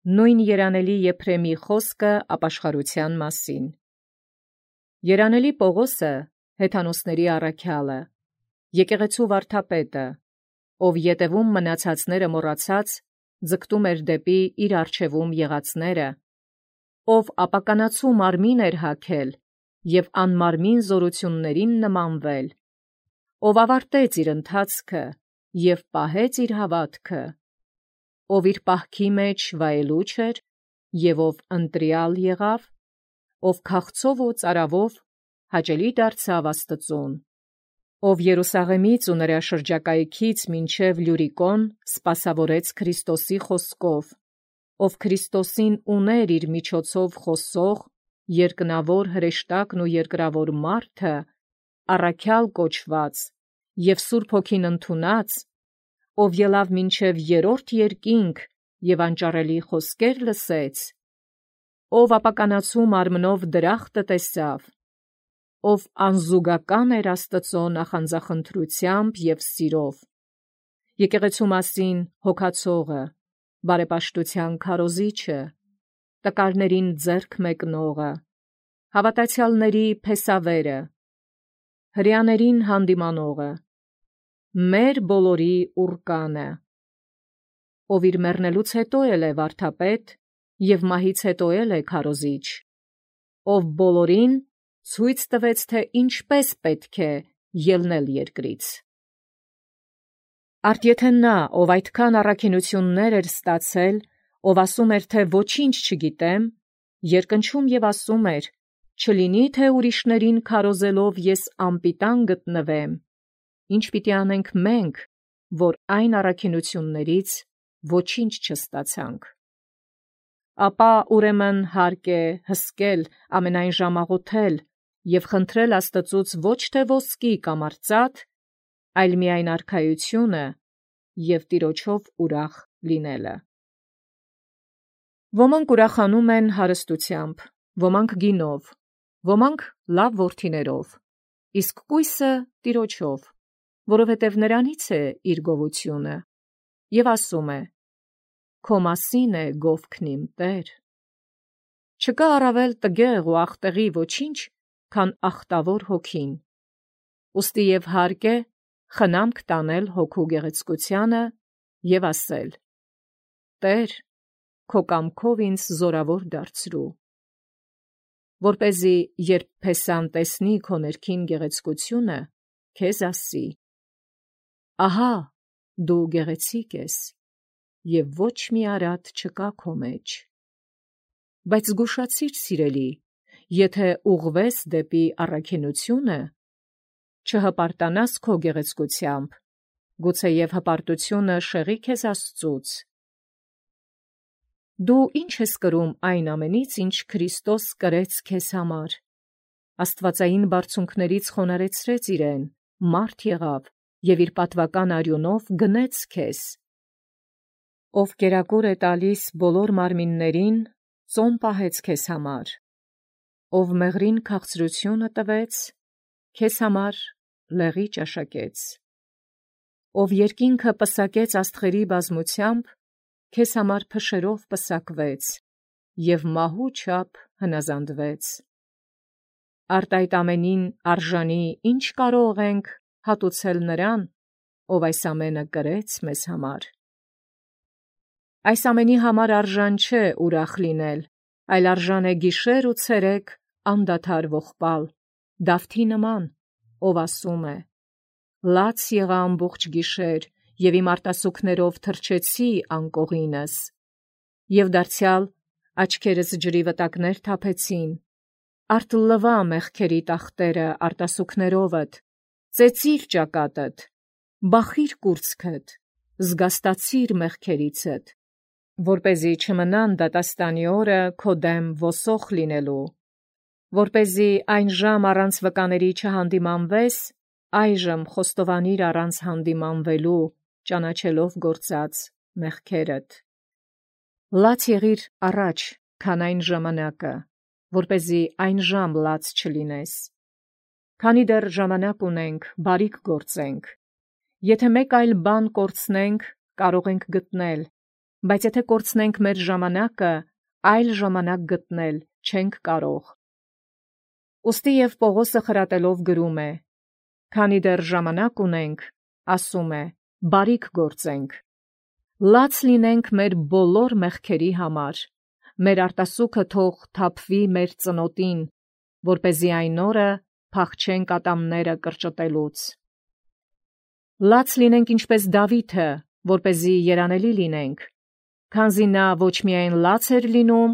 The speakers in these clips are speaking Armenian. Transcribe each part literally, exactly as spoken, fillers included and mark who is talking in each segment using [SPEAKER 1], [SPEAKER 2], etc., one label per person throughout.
[SPEAKER 1] Նույն երանելի Եփրեմի խոսքը ապաշխարության մասին։ Երանելի Պողոսը, հեթանոսների առաքյալը, եկեղեցու վարդապետը, ով յետևում մնացածները մոռացած, ձգտում էր դեպի իր առջևում եղածները, ով ապականացու մարմին էր հագել և անմարմին զորություններին նմանվել, ով ավարտեց իր ընթացքը և պահեց իր հավատքը, ով իր պահքի մեջ վայելուչ էր և ով ընտրյալ եղավ, ով քաղցով ու ծարավով հաճելի դարձավ Աստծուն, ով Երուսաղեմից ու նրա շրջակայքից մինչև Լյուրիկոն սպասավորեց Քրիստոսի խոսքով, ով Քրիստոսին ուներ իր միջոցով խոսող, երկնավոր հրեշտակն ու երկրավոր մարդը, առաքյալ կոչված և Սուրբ Հոգին ընդունած, ով ելավ մինչև երրորդ երկինք և անճարելի խոսքեր լսեց, ով ապականացու մարմնով դրախտը տեսավ, ով անզուգական էր Աստծո նախանձախնդրությամբ և սիրով, եկեղեցու մասին հոգացողը, բարեպաշտության քարոզիչը, տկարներին ձեռք մեկնողը, հավատացյալների փեսավերը, հրեաներին հանդիմանողը, մեր բոլորի ուռկանը, ով իր մեռնելուց հետո էլ է վարդապետ և մահից հետո էլ է քարոզիչ, ով բոլորին ցույց տվեց, թե ինչպես պետք է ելնել երկրից։ Արդ եթե նա, ով այդքան առաքինություններ էր ստացել, ով ասում էր, թե ոչինչ չգիտեմ, երկնչում և ասում էր, չլինի, թե ուրիշներին քարոզելով ես անպիտան գտնվեմ, ինչ պիտի անենք մենք, որ այն առաքինություններից ոչինչ չստացանք։ Ապա ուրեմն հարկ է հսկել, ամենայն ժամ աղոթել և խնդրել Աստծուց ոչ թե ոսկի կամ արծաթ, այլ միայն արքայությունը և Տիրոջով ուրախ լինելը։ Ոմանք ուրախանում են հարստությամբ, ոմանք գինով, ոմանք լավ որդիներով, իսկ կույսը Տիրոջով, որովհետև նրանից է իր գովությունը, և ասում է. «Քո մասին է գովքն իմ Տեր»։ Չկա առավել տգեղ ու ախտեղի ոչինչ, քան ախտավոր հոգին, ուստի և հարկ է խնամք տանել հոգու գեղեցկությանը և ասել. «Տե՛ր, քո կամքով ինձ զորավոր դարձրու», որպեսզի երբ փեսան տեսնի քո ներքին գեղեցկությունը, քեզ ասի. «Ահա դու գեղեցիկ ես, և ոչ մի արատ չկա քո մեջ»։ Բայց զգուշացիր, սիրելի, եթե ուղղվես դեպի առաքինությունը, չհպարտանաս քո գեղեցկությամբ, գուցեև հպարտությունը շեղի քեզ Աստծուց։ Դու ի՞նչ ես կրում այն ամենից, ինչ Քրիստոս կրեց քեզ համար։ Աստվածային բարձունքներից խոնարհեցրեց իրեն, մարդ եղավ և իր պատվական արյունով գնեց քեզ։ Ով կերակուր է տալիս բոլոր մարմիններին, ծոմ պահեց քեզ համար, ով մեղրին քաղցրությունը տվեց, քեզ համար լեղի ճաշակեց, ով երկինքը պսակեց աստղերի բազմությամբ, քեզ համար փշերով պսակվեց և մահու չափ հնազանդվեց։ Արդ այդ ամենին արժանի ի՞նչ կարող ենք հատուցել նրան, ով այս ամենը կրեց մեզ համար։ Այս ամենի համար արժան չէ ուրախ լինել, այլ արժան է գիշեր ու ցերեկ անդադար ողբալ, Դավթի նման, ով ասում է. «Լաց եղա ամբողջ գիշեր, և իմ արտասուքներով թրջեցի անկողինս, և դարձյալ աչքերս ջրի վտակներ թափեցին, արդ լվա մեղքերի տախտերը արտասուքներովդ, ծեծիր ճակատդ, բախիր կուրծքդ, զգաստացիր մեղքերիցդ, որպեսզի չմնան դատաստանի օրը քո դեմ ոսող լինելու, որպեսզի այն ժամ առանց վկաների չհանդիմանվես, այժմ խոստովանիր առանց հանդիմանվելու, ճանաչելով գործած մեղքերդ։ Լաց եղիր առաջ, քան այն ժամանակը, որպեսզի այն ժամ լաց չլինես։ Քանի դեռ ժամանակ ունենք, բարիք գործենք. եթե մեկ այլ բան կորցնենք, կարող ենք գտնել, բայց եթե կորցնենք մեր ժամանակը, այլ ժամանակ գտնել չենք կարող։ Ուստի և Պողոսը խրատելով գրում է. «Քանի դեռ ժամանակ ունենք, ասում է, բարիք գործենք։ Լաց լինենք մեր բոլոր մեղքերի համար, մեր արտասուքը թող թափվի մեր ծնոտին, որպեսզի այն օրը փախչենք ատամները կրճտելուց։ Լաց լինենք ինչպես Դավիթը, որպեսզի երանելի լինենք, քանզի նա ոչ միայն լաց էր լինում,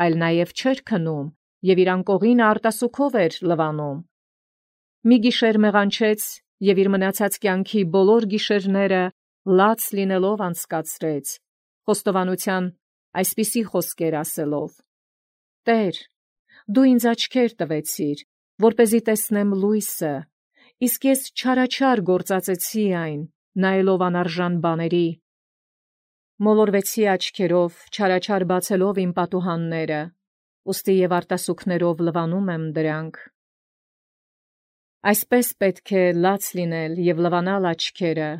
[SPEAKER 1] այլ նաև չէր քնում և իր անկողին արտասուքով էր լվանում։ Մի գիշեր մեղանչեց և իր մնացած կյանքի բոլոր գիշերները լաց լինելով անցկացրեց, խոստովանության այսպիսի խոսքեր ասելով. «Տեր, դու ինձ աչքեր տվեցիր, որպեսզի տեսնեմ լույսը, իսկ ես չարաչար գործածեցի այն, նայելով անարժան բաների։ Մոլորվեցի աչքերով, չարաչար բացելով իմ պատուհանները, ուստի և արտասուքներով լվանում եմ դրանք»։ Այսպես պետք է լաց լինել և լվանալ աչքերը,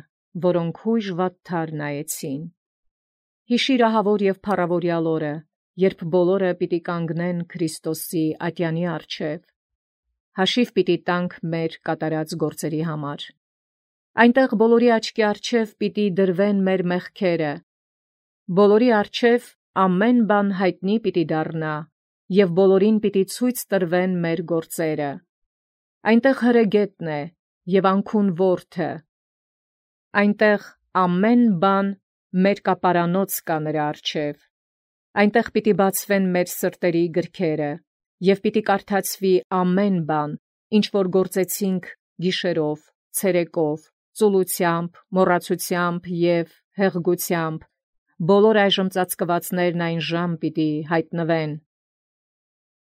[SPEAKER 1] որոնք հույժ վատթար նայեցին։ Հիշիր ահավոր և փառավորյալ օրը, երբ բոլորը պիտի կանգնեն Քրիստոսի ատյանի առջև։ Հաշիվ պիտի տանք մեր կատարած գործերի համար։ Այնտեղ բոլորի աչքի առջև պիտի դրվեն մեր մեղքերը, բոլորի առջև ամեն բան հայտնի պիտի դառնա, և բոլորին պիտի ցույց տրվեն մեր գործերը։ Այնտեղ հրեգետն է և անքուն որդը, այնտեղ ամեն բան մերկապարանոց կա նրա առջև։ Այնտեղ պիտի բացվեն մեր սրտերի գրքերը, և պիտի կարդացվի ամեն բան, ինչ որ գործեցինք գիշերով, ցերեկով, ծուլությամբ, մոռացությամբ և հեղգությամբ, բոլոր այժմ ծածկվածներն այն ժամ պիտի հայտնվեն։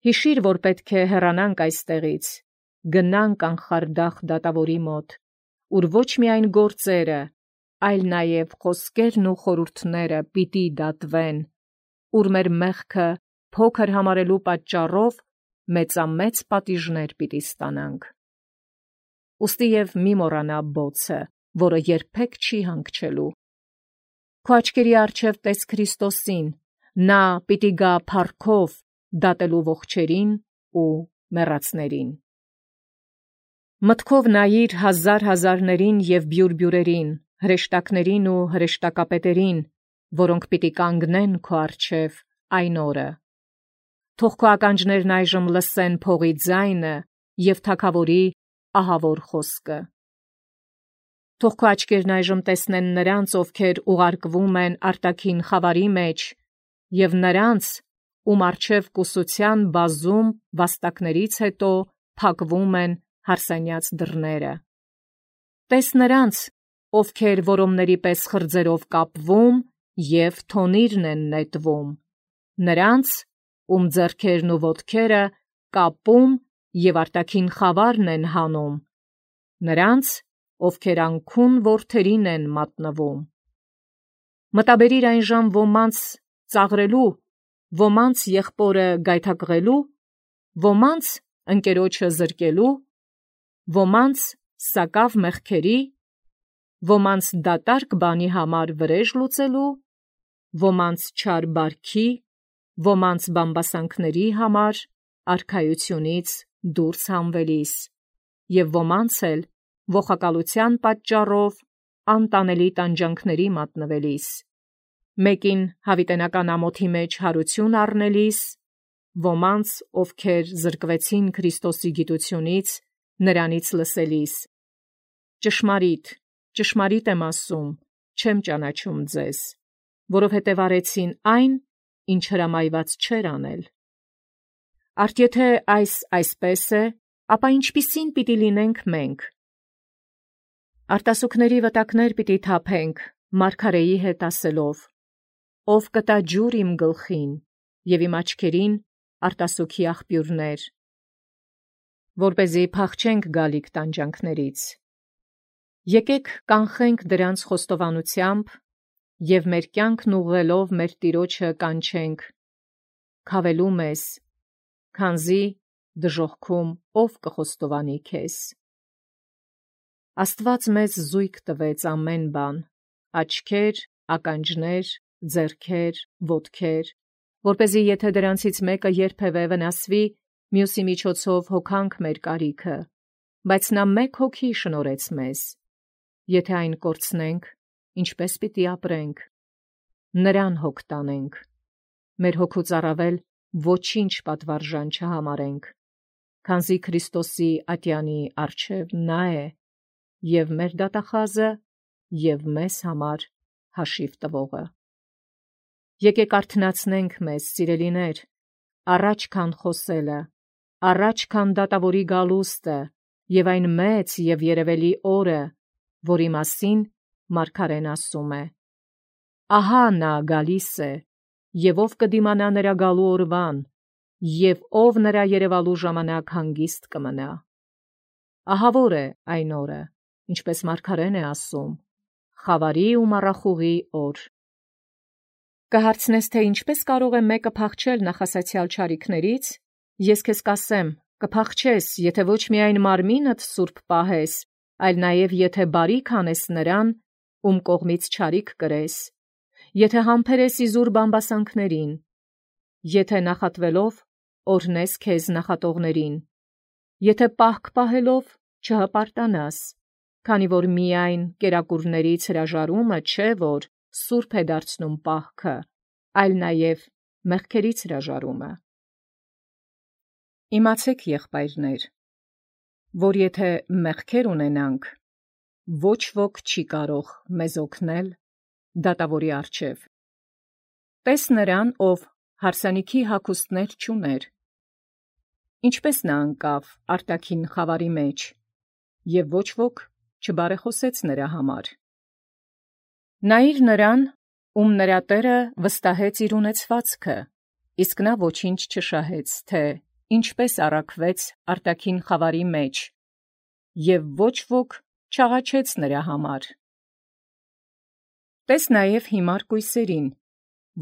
[SPEAKER 1] Հիշիր, որ պետք է հեռանանք այստեղից, գնանք անխարդախ դատավորի մոտ, ուր ոչ միայն գործերը, այլ նաև խոսքերն ու խորհուրդները պիտի դատվեն, ուր մեր մեղքը փոքր համարելու պատճառով մեծամեծ պատիժներ պիտի ստանանք։ Ուստի և մի մոռանա բոցը, որը երբեք չի հանգչելու։ Քո աչքերի առջև տես Քրիստոսին, նա պիտի գա փառքով դատելու ողջերին ու մեռածներին։ Մտքով նայիր հազար հազարներին և բյուրբյուրերին, հրեշտակներին ու հրեշտակապետերին, որոնք պիտի կանգնեն քո առջև այն օրը։ Թող քո ականջներն այժմ լսեն փողի ձայնը և թագավորի ահավոր խոսքը։ Թող քո աչքերն այժմ տեսնեն նրանց, ովքեր ուղարկվում են արտաքին խավարի մեջ, և նրանց, ում առջև կուսության բազում վաստակներից հետո փակվում են հարսանյաց դռները։ Տես նրանց, ովքեր որոմների պես խրձերով կապվում և թոնիրն են նետվում, նրանց, ում ձեռքերն ու ոտքերը կապում և արտաքին խավարն են հանում, նրանց, ովքեր անքուն որդերին են մատնվում։ Մտաբերիր այն ժամ ոմանց ծաղրելու, ոմանց եղբորը գայթակղելու, ոմանց ընկերոջը զրկելու, ոմանց սակավ մեղքերի, ոմանց դատարկ բանի համար վրեժ լուծելու, ոմանց չար բարքի, ոմանց բամբասանքների համար արքայությունից դուրս հանվելիս, և ոմանց էլ ողակալության պատճառով անտանելի տանջանքների մատնվելիս, մեկին հավիտենական ամոթի մեջ հարություն առնելիս, ոմանց, ովքեր զրկվեցին Քրիստոսի գիտությունից, նրանից լսելիս։ Ճշմարիտ, ճշմարիտ եմ ասում, չեմ ճանաչում ձեզ, որովհետև արեցին այն, ինչ հրամայված չէր անել։ Արդ եթե այս այսպես է, ապա ինչպիսին պիտի լինենք մենք։ Արտասուքների վտակներ պիտի թափենք, մարգարեի հետ ասելով. «Ով կտա ջուր իմ գլխին, և իմ աչքերին արտասուքի աղբյուրներ, որպեսզի փախչենք գալիք տանջանքներից։ Եկեք կանխենք դրանց խոստովանությամբ և մեր կյանքն ուղղելով մեր Տիրոջը կանչենք. «Քավելու մեզ, քանզի դժոխքում ով կխոստովանի քեզ»։ Աստված մեզ զույգ տվեց ամեն բան, աչքեր, ականջներ, ձեռքեր, ոտքեր, որպեսզի եթե դրանցից մեկը երբևէ վնասվի, մյուսի միջոցով հոգանք մեր կարիքը, բայց նա մեկ հոգի շնորհեց մեզ։ Եթե այն կորցնենք, ինչպես պիտի ապրենք։ Նրան հոգ տանենք, մեր հոգուց առավել ոչինչ պատվարժան չհամարենք, քանզի Քրիստոսի ատյանի առջև նա է, և մեր դատախազը, և մեզ համար հաշիվ տվողը։ Եկեք արթնացնենք մեզ, սիրելիներ, առաջ քան խոսելը, առաջ քան դատավորի գալուստը և այն մեծ և երևելի օրը, որի մասին մարգարեն ասում է. «Ահա նա գալիս է, և ով կդիմանա նրա գալու օրվան, և ով նրա երևալու ժամանակ հանգիստ կմնա»։ Ահավոր է այն օրը, ինչպես մարգարեն է ասում, խավարի ու մառախուղի օր։ Կհարցնես, թե ինչպես կարող է մեկը փախչել նախասացյալ չարիքներից, ես քեզ կասեմ, կփախչես, եթե ոչ միայն մարմինդ սուրբ պահես, այլ նաև եթե բարիք անես նրան, ում կողմից չարիք կրես, եթե համբերես իզուր բամբասանքներին, եթե նախատվելով օրհնես քեզ նախատողներին, եթե պահք պահելով չհպարտանաս, քանի որ միայն կերակուրներից հրաժարումը չէ, որ սուրբ է դարձնում պահքը, այլ նաև մեղքերից հրաժարումը։ Իմացեք, եղբայրներ, որ եթե մեղքեր ունենանք, ոչ ոք չի կարող մեզ օգնել դատավորի առջև։ Տես նրան, ով հարսանիքի հագուստներ չուներ, ինչպես նա ընկավ արտաքին խավարի մեջ, և ոչ ոք չբարեխոսեց նրա համար։ Նայիր նրան, ում նրա Տերը վստահեց իր ունեցվածքը, իսկ նա ոչինչ չշահեց, թե ինչպես առաքվեց արտաքին խավարի մեջ, և ոչ ոք չաղաչեց նրա համար։ Տես նաև հիմար կույսերին,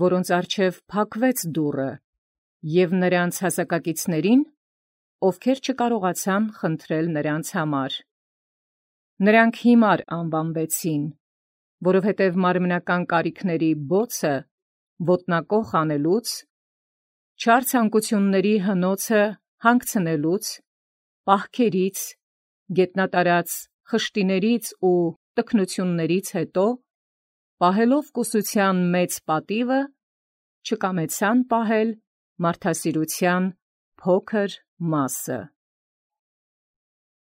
[SPEAKER 1] որոնց առջև փակվեց դուռը, և նրանց հասակակիցներին, ովքեր չկարողացան խնդրել նրանց համար։ Նրանք հիմար անվանվեցին, որովհետև մարմնական կարիքների բոցը ոտնակոխ անելուց, չար ցանկությունների հնոցը հանգցնելուց, պահքերից, գետնատարած խշտիներից ու տքնություններից հետո, պահելով կուսության մեծ պատիվը, չկամեցան պահել մարդասիրության փոքր մասը։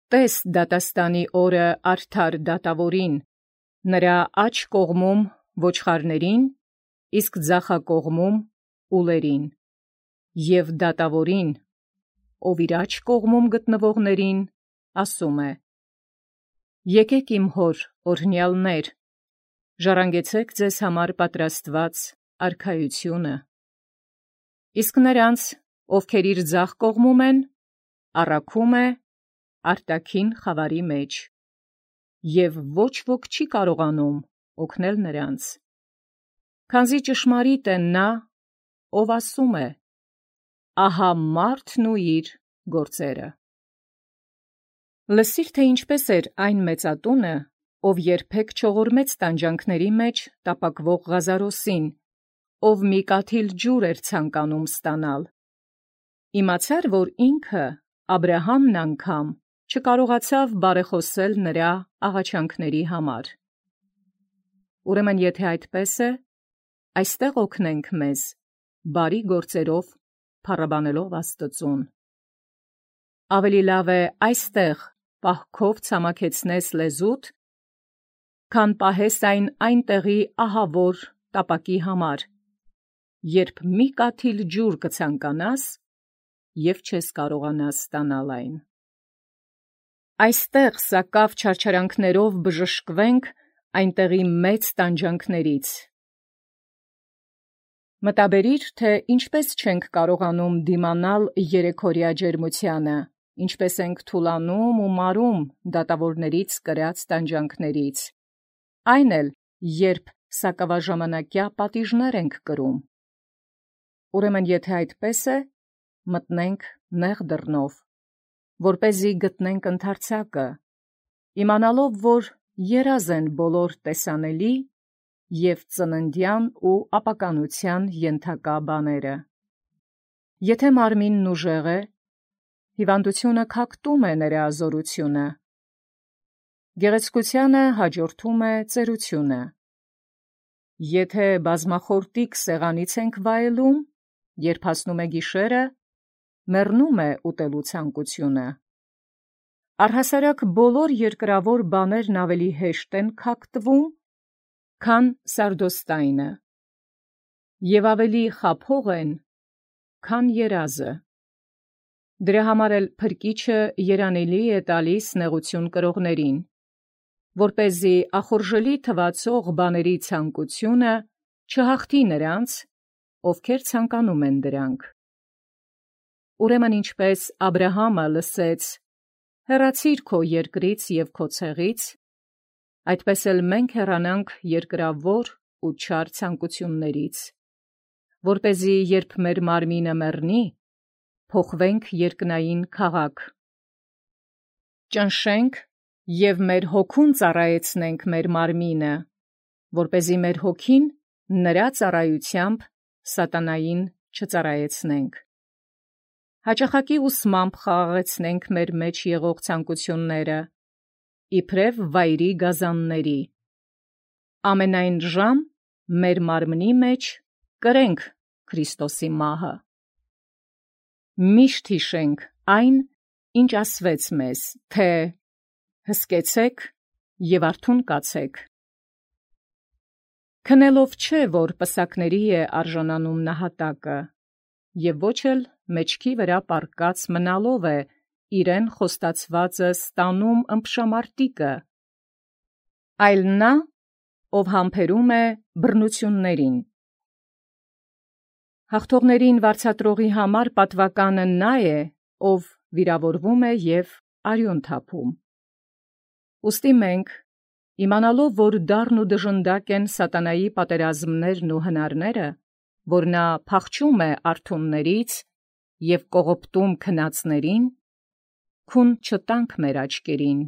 [SPEAKER 1] Տես դատաստանի օրը արդար դատավորին, նրա աջ կողմում ոչխարներին, իսկ ձախակողմում ուլերին, և դատավորին, ով իր աջ կողմում գտնվողներին, ասում է. «Եկեք իմ հոր օրհնյալներ, ժառանգեցեք ձեզ համար պատրաստված արքայությունը»։ Իսկ նրանց, ովքեր իր ձախ կողմում են, առաքում է արտաքին խավարի մեջ, և ոչ ոք չի կարողանում օգնել նրանց, քանզի ճշմարիտ է նա, ով ասում է. «Ահա մարդն ու իր գործերը»։ Լսիր, թե ինչպես էր այն մեծատունը, ով երբեք չողորմեց տանջանքների մեջ տապակվող Ղազարոսին, ով մի կաթիլ ջուր էր ցանկանում ստանալ։ Իմացար, որ ինքը Աբրահամն անգամ չկարողացավ բարեխոսել նրա աղաչանքների համար։ Ուրեմն եթե այդպես է, այստեղ օգնենք մեզ, բարի գործերով փառաբանելով Աստծուն։ Ավելի լավ է այստեղ պահքով ցամաքեցնես լեզուդ, քան պահես այն այնտեղի ահավոր տապակի համար, երբ մի կաթիլ ջուր կցանկանաս և չես կարողանա ստանալ այն։ Այստեղ սակավ չարչարանքներով բժշկվենք այնտեղի մեծ տանջանքներից։ Մտաբերիր, թե ինչպես չենք կարողանում դիմանալ երեքօրյա ջերմությանը, ինչպես ենք թուլանում ու մարում դատավորներից կրած տանջանքներից, այն էլ, երբ սակավաժամանակյա պատիժներ ենք կրում։ Ուրեմն եթե այդպես է, մտնենք նեղ դռնով, որպեսզի գտնենք ընդարձակը, իմանալով, որ երազ են բոլոր տեսանելի և ծննդյան ու ապականության ենթակա բաները։ Եթե մարմինն ուժեղ է, հիվանդությունը քակտում է նրա զորությունը, գեղեցկությանը հաջորդում է ծերությունը։ Եթե բազմախորտիկ սեղանից ենք վայելում, երբ հասնում է գիշերը, մեռնում է ուտելու ցանկությունը։ Առհասարակ բոլոր երկրավոր բաներն ավելի հեշտ են քակտվում, քան սարդոստայնը, և ավելի խաբող են, քան երազը։ Դրա համար էլ փրկիչը երանելի է տալիս նեղություն կրողներին, որպեսզի ախորժելի թվացող բաների ցանկությունը չհաղթի նրանց, ովքեր ցանկանում են դրանք։ Ուրեմն ինչպես Աբրահամը լսեց. «Հեռացիր քո երկրից և քո ցեղից», այդպես էլ մենք հեռանանք երկրավոր ու չար ցանկություններից, որպեսզի երբ մեր մարմինը մեռնի, փոխվենք երկնային քաղաք։ Ճնշենք և մեր հոգուն ծառայեցնենք մեր մարմինը, որպեսզի մեր հոգին նրա ծառայությամբ սատանային չծառայեցնենք։ Հաճախակի ուսմամբ խաղաղեցնենք մեր մեջ եղող ցանկությունները, իբրև վայրի գազանների։ Ամենայն ժամ մեր մարմնի մեջ կրենք Քրիստոսի մահը։ Միշտ հիշենք այն, ինչ ասվեց մեզ, թե «Հսկեցեք և արթուն կացեք»։ Քնելով չէ, որ պսակների է արժանանում նահատակը, և ոչ էլ մեջքի վրա պառկած մնալով է իրեն խոստացվածը ստանում ըմբշամարտիկը, այլ նա, ով համբերում է բռնություններին։ Հաղթողներին վարձատրողի համար պատվականը նա է, ով վիրավորվում է և արյուն թափում։ Ուստի մենք, իմանալով, որ դառն ու դժնդակ են սատանայի պատերազմներն ու հնարները, որ նա փախչում է արթուններից և կողոպտում քնածներին, քուն չտանք մեր աչքերին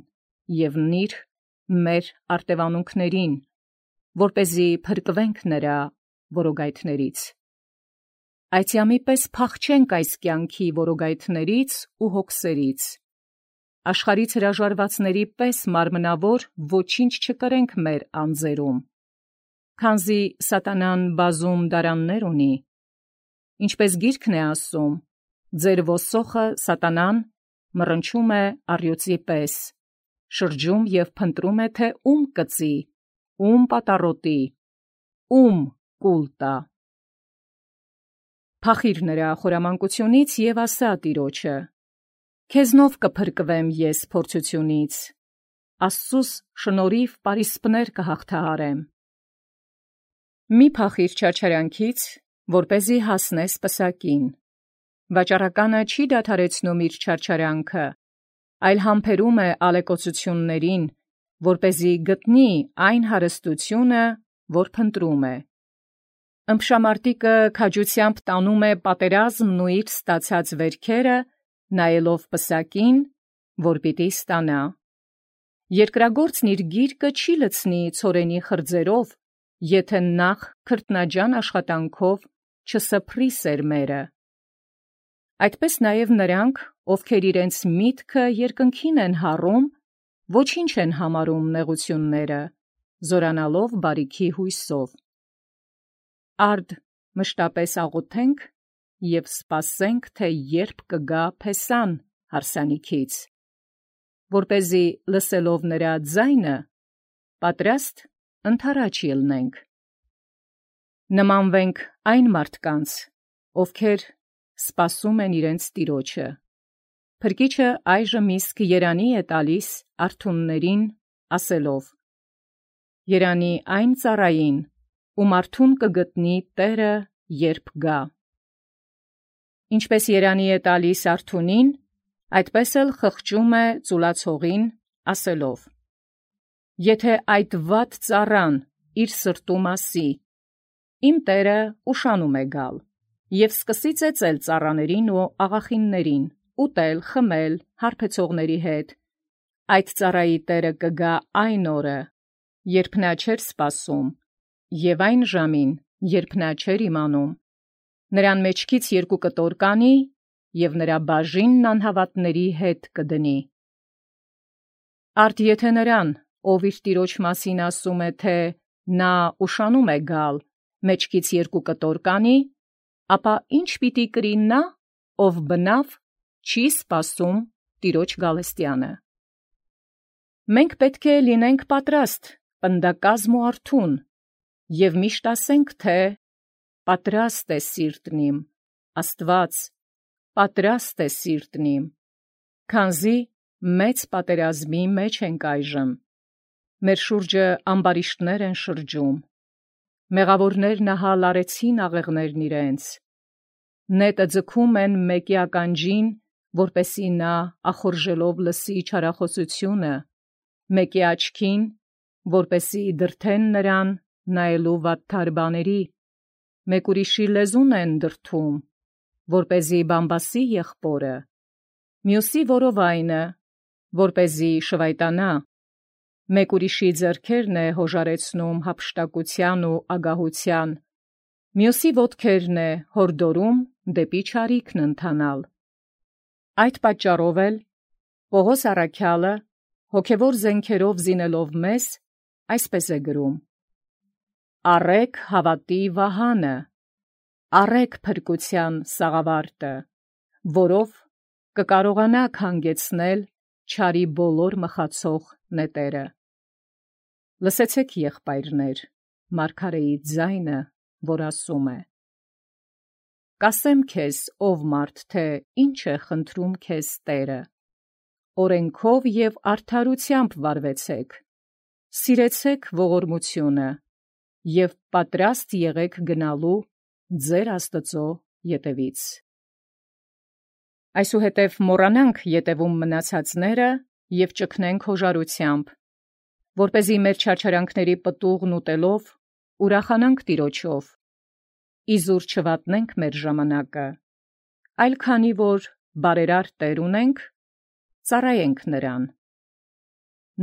[SPEAKER 1] և նիր մեր արտևանունքներին, որպեսզի փրկվենք նրա որոգայթներից։ Այցյամի պես փախչենք այս կյանքի որոգայթներից ու հոգսերից, աշխարհից հրաժարվածների պես մարմնավոր ոչինչ չկրենք մեր անձերում, քանզի սատանան բազում դարաններ ունի, ինչպես գիրքն է ասում. «Ձեր ոսոխը սատանան մռնչում է առյուծի պես, շրջում և փնտրում է, թե ում կծի, ում պատառոտի, ում կուլ տա»։ Փախիր նրա խորամանկությունից և ասա տիրոջը. «Քեզնով կփրկվեմ ես փորձությունից, Աստծուս շնորհիվ պարիսպներ կհաղթահարեմ»։ Մի փախիր չարչարանքից, որպեսզի հասնես պսակին։ Վաճառականը չի դադարեցնում իր չարչարանքը, այլ համբերում է ալեկոծություններին, որպեսզի գտնի այն հարստությունը, որ փնտրում է։ Ըմբշամարտիկը քաջությամբ տանում է պատերազմն ու իր ստացած վերքերը, նայելով պսակին, որ պիտի ստանա։ Երկրագործն իր գիրկը չի լցնի ցորենի խրձերով, եթե նախ քրտնաջան աշխատանքով չսփռի սերմերը։ Այդպես նաև նրանք, ովքեր իրենց միտքը երկնքին են հառում, ոչինչ են համարում նեղությունները, զորանալով բարիքի հույսով։ Արդ մշտապես աղոթենք և սպասենք, թե երբ կգա փեսան հարսանիքից, որպեսզի լսելով նրա ձայնը, պատրաստ ընդառաջ ելնենք։ Նմանվենք այն մարդկանց, ովքեր սպասում են իրենց տիրոջը։ Փրկիչը այժմ իսկ երանի է տալիս արթուններին, ասելով. «Երանի այն ծառային, ում արթուն կգտնի Տերը, երբ գա»։ Ինչպես երանի է տալիս արթունին, այդպես էլ խղճում է ծուլացողին, ասելով. «Եթե այդ վատ ծառան իր սրտում ասի. «Իմ տերը ուշանում է գալ», և սկսի ծեծել ծառաներին ու աղախիններին, ուտել, խմել հարբեցողների հետ, այդ ծառայի տերը կգա այն օրը, երբ նա չէր սպասում, Եւ այն ժամին, երբ նա չէր իմանում, նրան մեջքից երկու կտոր կանի, եւ նրա բաժինն անհավատների հետ կդնի։ Արդ եթե նրան, ով իր տիրոջ մասին ասում է, թե նա ուշանում է գալ, մեջքից երկու կտոր կանի, ապա ինչ պիտի կրի նա, ով բնավ չի սպասում տիրոջ գալստյանը։ Մենք պետք է լինենք պատրաստ, պնդակազմ ու արթուն, եւ միշտ ասենք, թե պատրաստ է սիրտն իմ, Աստված, պատրաստ է սիրտն իմ, քանզի մեծ պատերազմի մեջ ենք այժմ։ Մեր շուրջը ամբարիշտներ են շրջում, մեղավորներն ահա լարեցին աղեղներն իրենց, նետը ձգում են մեկի ականջին, որպեսի նա ախորժելով լսի չարախոսությունը, մեկի աչքին, որպեսի դրթեն նրան նայելու վատթար բաների, մեկ ուրիշի լեզուն են դրթում, որպեսզի բամբասի եղբորը, մյուսի որովայնը, որպեսզի շվայտանա, մեկ ուրիշի ձեռքերն է հոժարեցնում հափշտակության ու ագահության, մյուսի ոտքերն է հորդորում դեպի չարիքն ընթանալ։ Այդ պատճառով էլ Պողոս առաքյալը, հոգևոր զենքերով զինելով մեզ, այսպես է գրում. «Առեք հավատի վահանը, առեք փրկության սաղավարտը, որով կկարողանաք հանգեցնել չարի բոլոր մխացող նետերը»։ Լսեցեք, եղբայրներ, մարգարեի ձայնը, որ ասում է. «Կասեմ քեզ, ով մարդ, թե ինչ է խնդրում քեզ Տերը, օրենքով և արդարությամբ վարվեցեք, սիրեցեք ողորմությունը և պատրաստ եղեք գնալու ձեր Աստծո ետևից»։ Այսուհետև մոռանանք ետևում մնացածները և ճգնենք հոժարությամբ, որպեսզի մեր չարչարանքների պտուղն ուտելով ուրախանանք Տիրոջով, իզուր չվատնենք մեր ժամանակը, այլ քանի որ բարերար Տեր ունենք, ծառայենք նրան։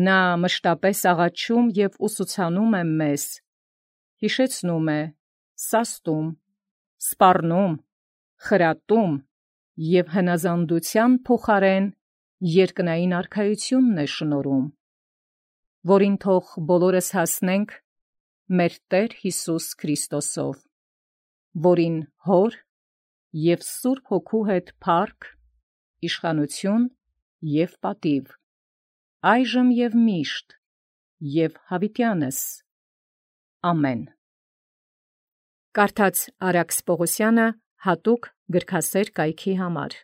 [SPEAKER 1] Նա մշտապես աղաչում և ուսուցանում է մեզ, հիշեցնում է, սաստում, սպառնում, խրատում և հնազանդության փոխարեն երկնային արքայությունն է շնորհում, որին թող բոլորս հասնենք մեր Տեր Հիսուս Քրիստոսով, որին Հոր և Սուրբ Հոգու հետ փառք, իշխանություն և պատիվ, այժմ և միշտ և հավիտյանս։ Ամեն։ Կարդաց Արաքս Պողոսյանը հատուկ գրքասեր կայքի համար։